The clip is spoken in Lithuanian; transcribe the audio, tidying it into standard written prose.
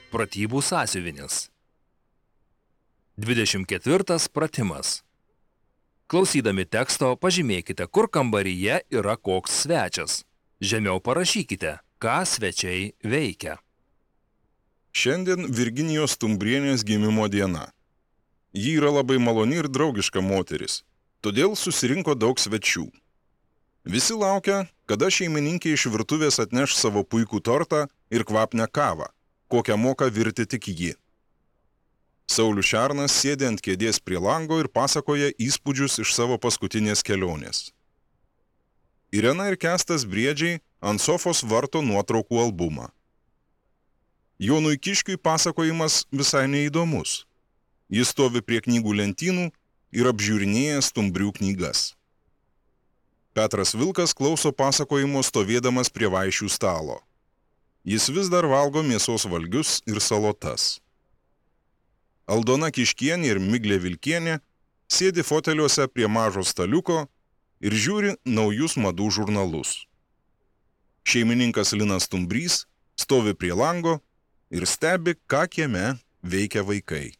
Pratybų sąsiuvinis. 24 pratimas. Klausydami teksto pažymėkite, kur kambaryje yra koks svečias. Žemiau parašykite, ką svečiai veikia. Šiandien Virginijos Stumbrienės gimimo diena. Ji yra labai maloni ir draugiška moteris, todėl susirinko daug svečių. Visi laukia, kada šeimininkė iš virtuvės atneš savo puikų tortą ir kvapnią kavą, kokią moka virti tik ji. Saulius Šernas sėdi ant kėdės prie lango ir pasakoja įspūdžius iš savo paskutinės kelionės. Irena ir Kęstas Briedžiai ant sofos varto nuotraukų albumą. Jonui Kiškiui pasakojimas visai neįdomus. Jis stovi prie knygų lentynų ir apžiūrinėja stumbrių knygas. Petras Vilkas klauso pasakojimo stovėdamas prie vaišių stalo. Jis vis dar valgo mėsos valgius ir salotas. Aldona Kiškienė ir Miglė Vilkienė sėdi foteliuose prie mažo staliuko ir žiūri naujus madų žurnalus. Šeimininkas Linas Stumbrys stovi prie lango ir stebi, ką kieme veikia vaikai.